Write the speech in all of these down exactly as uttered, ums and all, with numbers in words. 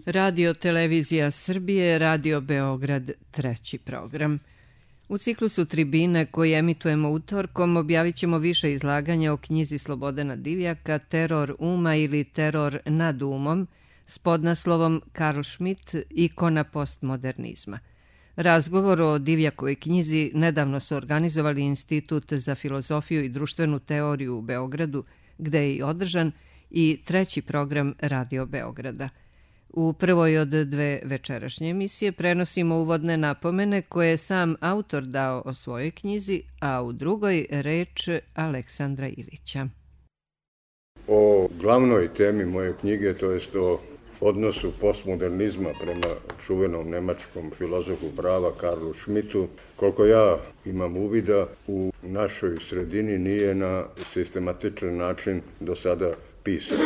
Radio Televizija Srbije, Radio Beograd, treći program. U ciklusu Tribine koji emitujemo utorkom objavit ćemo više izlaganja o knjizi Slobodana Divjaka Teror uma ili Teror nad umom s podnaslovom Karl Schmitt, ikona postmodernizma. Razgovor o Divjakovoj knjizi nedavno su organizovali Institut za filozofiju i društvenu teoriju u Beogradu, gde je i održan, i treći program Radio Beograda. U prvoj od dve večerašnje emisije prenosimo uvodne napomene koje je sam autor dao o svojoj knjizi, a u drugoj reč Aleksandra Ilića. O glavnoj temi moje knjige, to jest o odnosu postmodernizma prema čuvenom nemačkom filozofu prava Karlu Schmittu, koliko ja imam uvida, u našoj sredini nije na sistematičan način do sada pisan.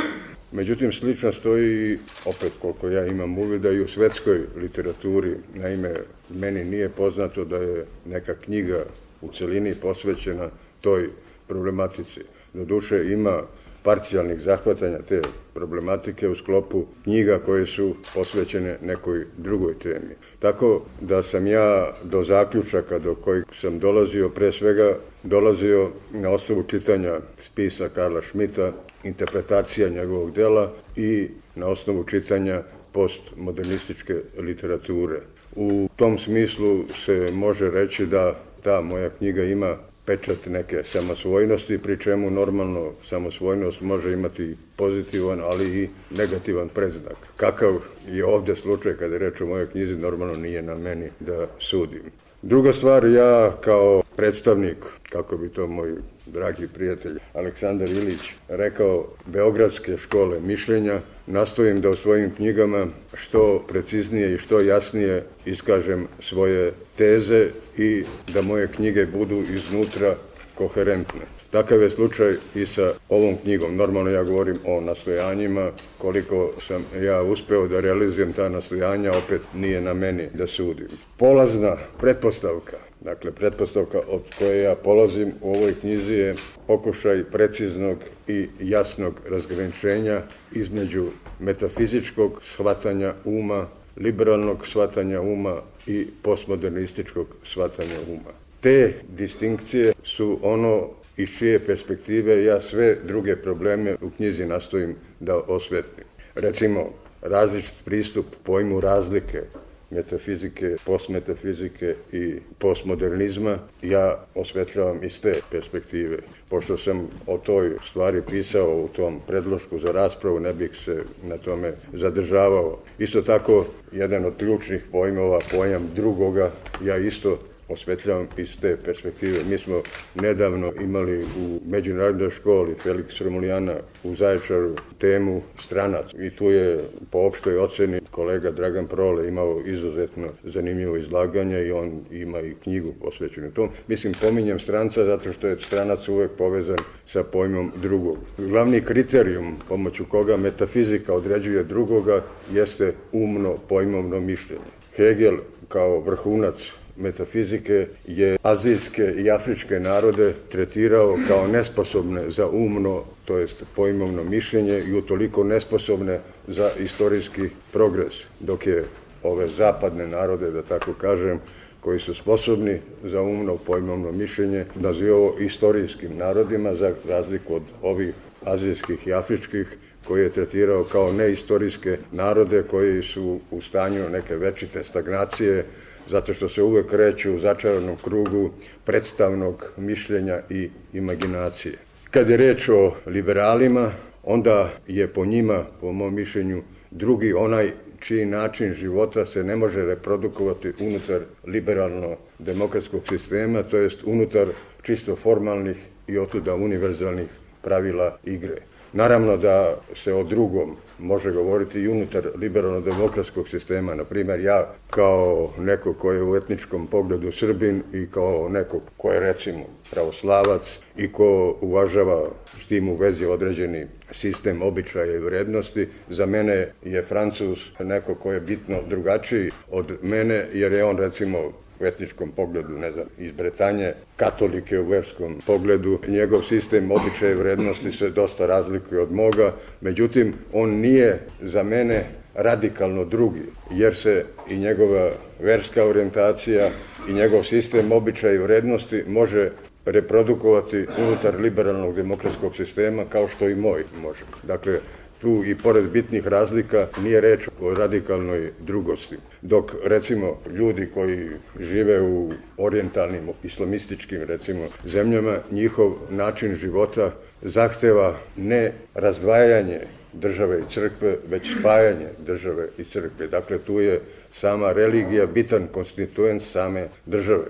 Međutim, slično stoji, opet koliko ja imam uvida, i u svetskoj literaturi. Naime, meni nije poznato da je neka knjiga u celini posvećena toj problematici. Doduše, ima parcijalnih zahvatanja te problematike u sklopu knjiga koje su posvećene nekoj drugoj temi. Tako da sam ja do zaključaka do kojih sam dolazio, pre svega dolazio na osnovu čitanja spisa Karla Schmitta, interpretacija njegovog dela i na osnovu čitanja postmodernističke literature. U tom smislu se može reći da ta moja knjiga ima pečat neke samosvojnosti, pri čemu normalno samosvojnost može imati pozitivan, ali i negativan predznak. Kakav je ovdje slučaj kada je reč o mojoj knjizi, normalno nije na meni da sudim. Druga stvar, ja kao predstavnik, kako bi to moj dragi prijatelj Aleksandar Ilić rekao, Beogradske škole mišljenja, nastojim da u svojim knjigama što preciznije i što jasnije iskažem svoje teze i da moje knjige budu iznutra koherentne. Takav je slučaj i sa ovom knjigom. Normalno ja govorim o nastojanjima, koliko sam ja uspeo da realizujem ta nastojanja, opet nije na meni da sudim. Polazna pretpostavka, dakle pretpostavka od koje ja polazim u ovoj knjizi je pokušaj preciznog i jasnog razgraničenja između metafizičkog shvatanja uma, liberalnog shvatanja uma i postmodernističkog shvatanja uma. Te distinkcije su ono iz čije perspektive ja sve druge probleme u knjizi nastojim da osvetlim. Recimo, različit pristup pojmu razlike metafizike, postmetafizike i postmodernizma ja osvetljavam iz te perspektive. Pošto sam o toj stvari pisao u tom predlošku za raspravu, ne bih se na tome zadržavao. Isto tako, jedan od ključnih pojmova, pojam drugoga, ja isto osvetljavam iz te perspektive. Mi smo nedavno imali u međunarodnoj školi Felix Romulijana u Zaječaru temu stranac i tu je po opštoj oceni kolega Dragan Prole imao izuzetno zanimljivo izlaganje i on ima i knjigu posvećenu tom. Mislim, pominjem stranca zato što je stranac uvek povezan sa pojmom drugog. Glavni kriterijum pomoću koga metafizika određuje drugoga jeste umno pojmovno mišljenje. Hegel kao vrhunac metafizike je azijske i afričke narode tretirao kao nesposobne za umno, to jest pojmovno mišljenje i utoliko nesposobne za istorijski progres, dok je ove zapadne narode, da tako kažem, koji su sposobni za umno pojmovno mišljenje, nazivao istorijskim narodima za razliku od ovih azijskih i afričkih koje je tretirao kao neistorijske narode koji su u stanju neke večite stagnacije, zato što se uvek kreću u začaranom krugu predstavnog mišljenja i imaginacije. Kad je reč o liberalima, onda je po njima, po mom mišljenju, drugi onaj čiji način života se ne može reprodukovati unutar liberalno-demokratskog sistema, to jest unutar čisto formalnih i otuda univerzalnih pravila igre. Naravno da se o drugom može govoriti i unutar liberalno-demokratskog sistema. Naprimjer, ja kao neko ko je u etničkom pogledu Srbin i kao neko ko je recimo pravoslavac i ko uvažava s tim u vezi određeni sistem običaja i vrednosti, za mene je Francuz neko ko je bitno drugačiji od mene jer je on recimo u etničkom pogledu, ne znam, iz Bretanje, katolike u verskom pogledu. Njegov sistem običaja i vrednosti se dosta razlikuje od moga, međutim, on nije za mene radikalno drugi, jer se i njegova verska orijentacija i njegov sistem običaja i vrednosti može reprodukovati unutar liberalnog demokratskog sistema kao što i moj može. Dakle, tu i pored bitnih razlika nije reč o radikalnoj drugosti. Dok, recimo, ljudi koji žive u orijentalnim, islamističkim, recimo, zemljama, njihov način života zahteva ne razdvajanje države i crkve, već spajanje države i crkve. Dakle, tu je sama religija bitan konstituent same države.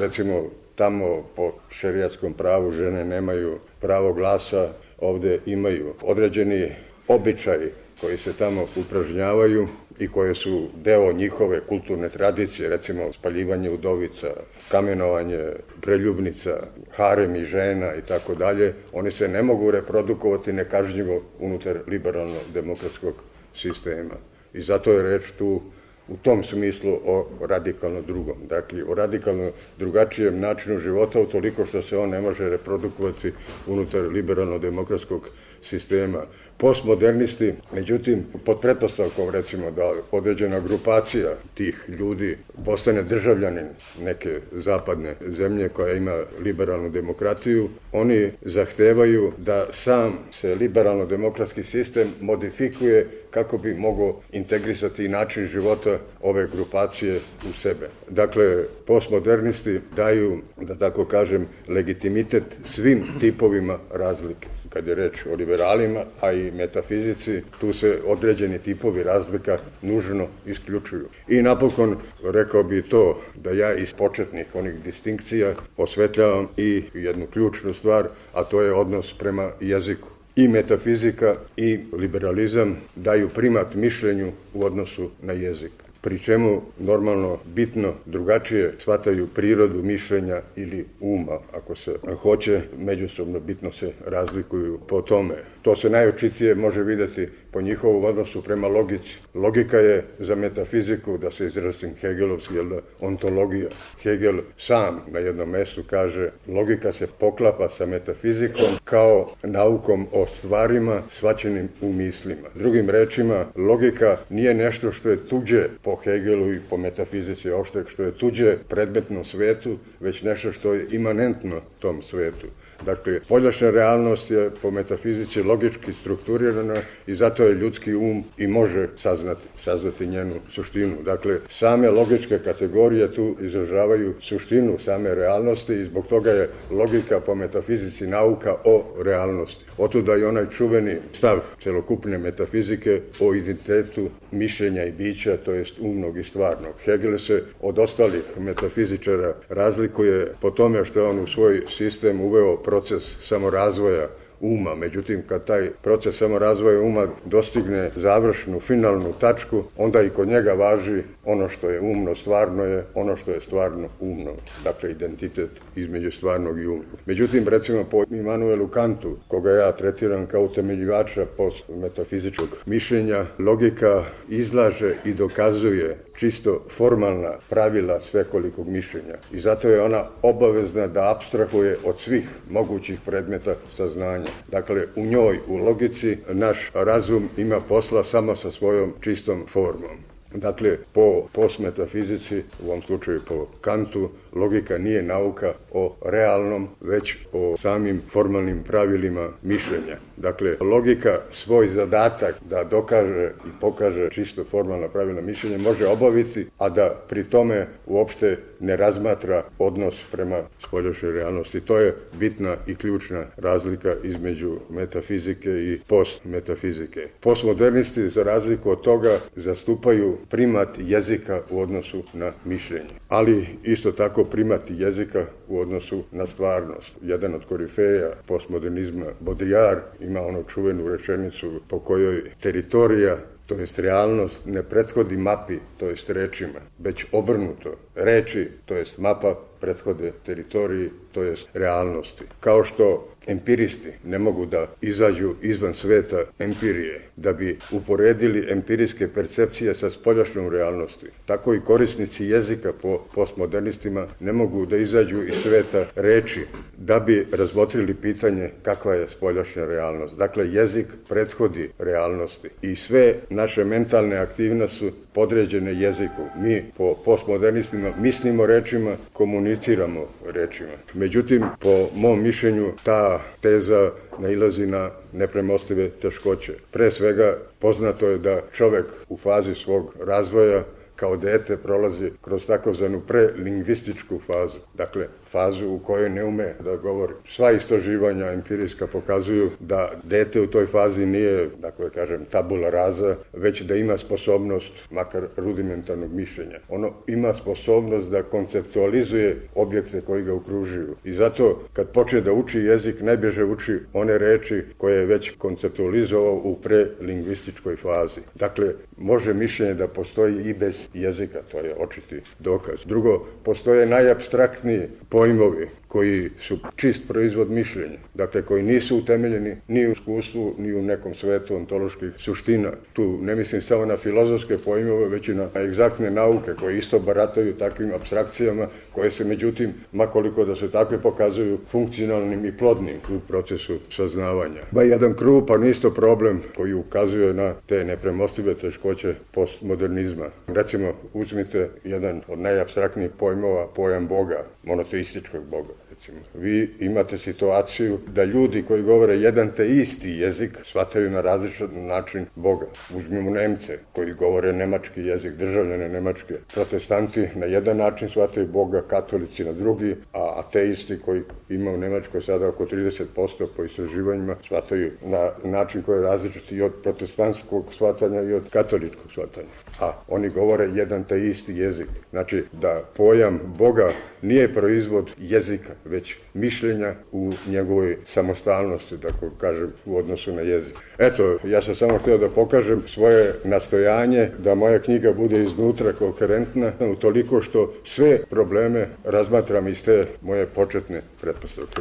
Recimo, tamo po šerijatskom pravu žene nemaju pravo glasa, ovde imaju određeni običaji koji se tamo upražnjavaju i koje su deo njihove kulturne tradicije, recimo spaljivanje udovica, kamenovanje preljubnica, haremi žena i tako dalje, oni se ne mogu reprodukovati nekažnjivo unutar liberalno-demokratskog sistema. I zato je reč tu u tom smislu o radikalno drugom. Dakle, o radikalno drugačijem načinu života utoliko što se on ne može reprodukovati unutar liberalno-demokratskog sistema. Postmodernisti, međutim, pod pretpostavkom, recimo, da određena grupacija tih ljudi postane državljanin neke zapadne zemlje koja ima liberalnu demokratiju, oni zahtevaju da sam se liberalno-demokratski sistem modifikuje kako bi mogao integrisati način života ove grupacije u sebe. Dakle, postmodernisti daju, da tako kažem, legitimitet svim tipovima razlike. Kad je reč o liberalima, a i metafizici, tu se određeni tipovi razlika nužno isključuju. I napokon, rekao bi to da ja iz početnih onih distinkcija osvetljavam i jednu ključnu stvar, a to je odnos prema jeziku. I metafizika i liberalizam daju primat mišljenju u odnosu na jezik, pri čemu normalno bitno drugačije shvataju prirodu mišljenja ili uma, ako se hoće, međusobno bitno se razlikuju po tome. To se najočitije može vidjeti po njihovom odnosu prema logici. Logika je za metafiziku, da se izrazim hegelovski, jel da, ontologija. Hegel sam na jednom mjestu kaže, logika se poklapa sa metafizikom kao naukom o stvarima shvaćenim u mislima. Drugim rečima, logika nije nešto što je tuđe po Hegelu i po metafizici opšte, što je tuđe predmetnom svetu, već nešto što je imanentno tom svetu. Dakle, poljašnja realnost je po metafizici logički strukturirana i zato je ljudski um i može saznati, saznati njenu suštinu. Dakle, same logičke kategorije tu izražavaju suštinu same realnosti i zbog toga je logika po metafizici nauka o realnosti. Otuda je onaj čuveni stav celokupne metafizike o identitetu mišljenja i bića, to jest umnog i stvarnog. Hegel se od ostalih metafizičara razlikuje po tome što je on u svoj sistem uveo proces samorazvoja uma. Međutim, kad taj proces samorazvoja uma dostigne završnu, finalnu tačku, onda i kod njega važi ono što je umno, stvarno je, ono što je stvarno umno. Dakle, identitet između stvarnog i umnog. Međutim, recimo po Immanuelu Kantu, koga ja tretiram kao utemeljivača postmetafizičkog mišljenja, logika izlaže i dokazuje čisto formalna pravila svekolikog mišljenja. I zato je ona obavezna da apstrahuje od svih mogućih predmeta saznanja. Dakle, u njoj, u logici, naš razum ima posla samo sa svojom čistom formom. Dakle, po postmetafizici, u ovom slučaju po Kantu, logika nije nauka o realnom, već o samim formalnim pravilima mišljenja. Dakle, logika svoj zadatak da dokaže i pokaže čisto formalna pravila mišljenja može obaviti, a da pri tome uopšte ne razmatra odnos prema spoljašnjoj realnosti. To je bitna i ključna razlika između metafizike i postmetafizike. Postmodernisti, za razliku od toga, zastupaju primat jezika u odnosu na mišljenje, ali isto tako primat jezika u odnosu na stvarnost. Jedan od korifeja postmodernizma, Baudrillard, ima onu čuvenu rečenicu po kojoj teritorija, to jest realnost, ne prethodi mapi, to jest rečima, već obrnuto. Reči, to jest mapa, prethode teritoriji, to jest realnosti. Kao što empiristi ne mogu da izađu izvan sveta empirije, da bi uporedili empirijske percepcije sa spoljašnjom realnosti. Tako i korisnici jezika po postmodernistima ne mogu da izađu iz sveta reči, da bi razmotrili pitanje kakva je spoljašnja realnost. Dakle, jezik prethodi realnosti i sve naše mentalne aktivnosti su podređene jeziku. Mi po postmodernistima mislimo rečima, komuniciramo rečima. Međutim, po mom mišljenju, ta teza nailazi na nepremostive teškoće. Pre svega, poznato je da čovek u fazi svog razvoja kao dete prolazi kroz takozvanu prelingvističku fazu. Dakle, fazu u kojoj ne ume da govori. Sva istraživanja empirijska pokazuju da dete u toj fazi nije, dakle kažem, tabula rasa, već da ima sposobnost, makar rudimentarnog mišljenja. Ono ima sposobnost da konceptualizuje objekte koji ga okružuju. I zato, kad počne da uči jezik, najbrže uči one reči koje je već konceptualizovao u prelingvističkoj fazi. Dakle, može mišljenje da postoji i bez jezika, to je očiti dokaz. Drugo, postoje najapstraktniji pojmovi koji su čist proizvod mišljenja, dakle koji nisu utemeljeni ni u iskustvu, ni u nekom svetu ontoloških suština. Tu ne mislim samo na filozofske pojmove, već i na egzaktne nauke koje isto barataju takvim apstrakcijama, koje se međutim, makoliko da se takve pokazuju, funkcionalnim i plodnim u procesu saznavanja. Ba jedan krupan isto problem koji ukazuje na te nepremostive teškoće postmodernizma. Recimo, uzmite jedan od najapstraktnijih pojmova, pojam Boga, monoteističkog Boga. Recimo, vi imate situaciju da ljudi koji govore jedan te isti jezik shvataju na različit način Boga. Uzmimo Nemce koji govore nemački jezik, državljane Nemačke. Protestanti na jedan način shvataju Boga, katolici na drugi, a ateisti koji ima u Nemačkoj sada oko trideset posto po istraživanjima shvataju na način koji je različit i od protestantskog shvatanja i od katoličkog shvatanja. A oni govore jedan te isti jezik. Znači da pojam Boga nije proizvod jezika, već mišljenja u njegovoj samostalnosti, tako kažem, u odnosu na jezik. Eto, ja sam samo htio da pokažem svoje nastojanje da moja knjiga bude iznutra koherentna, utoliko što sve probleme razmatram iz te moje početne pretpostavke.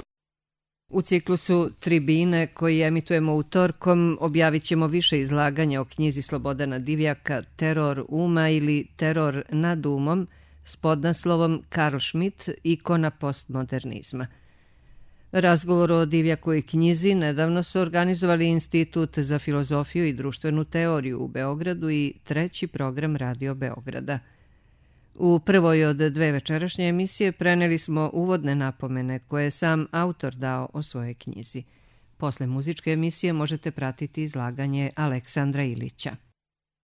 U ciklusu Tribine koji emitujemo utorkom objavit ćemo više izlaganja o knjizi Slobodana Divjaka Teror uma ili Teror nad umom s podnaslovom Karl Schmitt, ikona postmodernizma. Razgovor o Divjakovoj knjizi nedavno su organizovali Institut za filozofiju i društvenu teoriju u Beogradu i treći program Radio Beograda. U prvoj od dve večerašnje emisije preneli smo uvodne napomene koje je sam autor dao o svojoj knjizi. Posle muzičke emisije možete pratiti izlaganje Aleksandra Ilića.